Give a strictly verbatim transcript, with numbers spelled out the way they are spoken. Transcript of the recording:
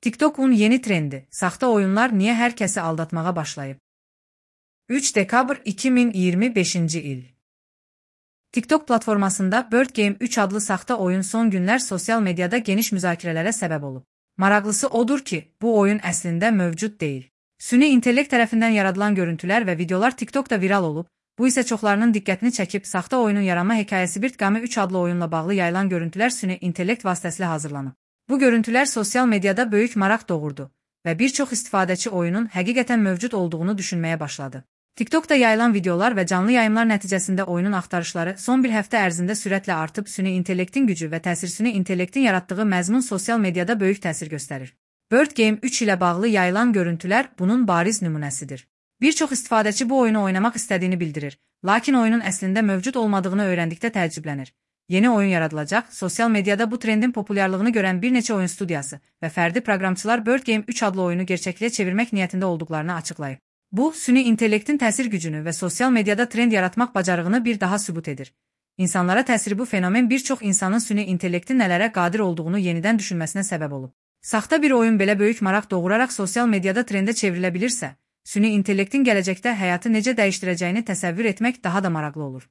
TikTok'un yeni trendi, saxta oyunlar niyə hər kəsi aldatmağa başlayıb? üç dekabr iki min iyirmi beşinci il. TikTok platformasında Bird Game üç adlı saxta oyun son günlər sosial mediada geniş müzakirələrə səbəb olub. Maraqlısı odur ki, bu oyun əslində mövcud deyil. Süni intellekt tərəfindən yaradılan görüntülər və videolar TikTokda viral olub, bu isə çoxlarının diqqətini çəkib, saxta oyunun yaranma hekayəsi Bird Game üç adlı oyunla bağlı yayılan görüntülər süni intellekt vasitəsilə hazırlanıb. Bu görüntülər sosial mediada böyük maraq doğurdu və bir çox istifadəçi oyunun həqiqətən mövcud olduğunu düşünməyə başladı. TikTokda yayılan videolar və canlı yayımlar nəticəsində oyunun axtarışları son bir həftə ərzində sürətlə artıb, süni intellektin gücü və təsir süni intellektin yaratdığı məzmun sosial mediada böyük təsir göstərir. Bird Game üç ilə bağlı yayılan görüntülər bunun bariz nümunəsidir. Bir çox istifadəçi bu oyunu oynamaq istədiyini bildirir, lakin oyunun əslində mövcud olmadığını öyrəndikdə təəccüblənir. Yeni oyun yaradılacaq, sosial mediada bu trendin populyarlığını görən bir neçə oyun studiyası və fərdi proqramçılar Bird Game üç adlı oyunu gerçəkliyə çevirmək niyyətində olduqlarını açıqlayıb. Bu, süni intellektin təsir gücünü və sosial mediada trend yaratmaq bacarığını bir daha sübut edir. İnsanlara təsiri bu fenomen bir çox insanın süni intellektin nələrə qadir olduğunu yenidən düşünməsinə səbəb olub. Saxta bir oyun belə böyük maraq doğuraraq sosial mediada trendə çevrilə bilirsə, süni intellektin gələcəkdə həyatı necə dəyişdirəcəyini təsəvvür etmək daha da maraqlı olur.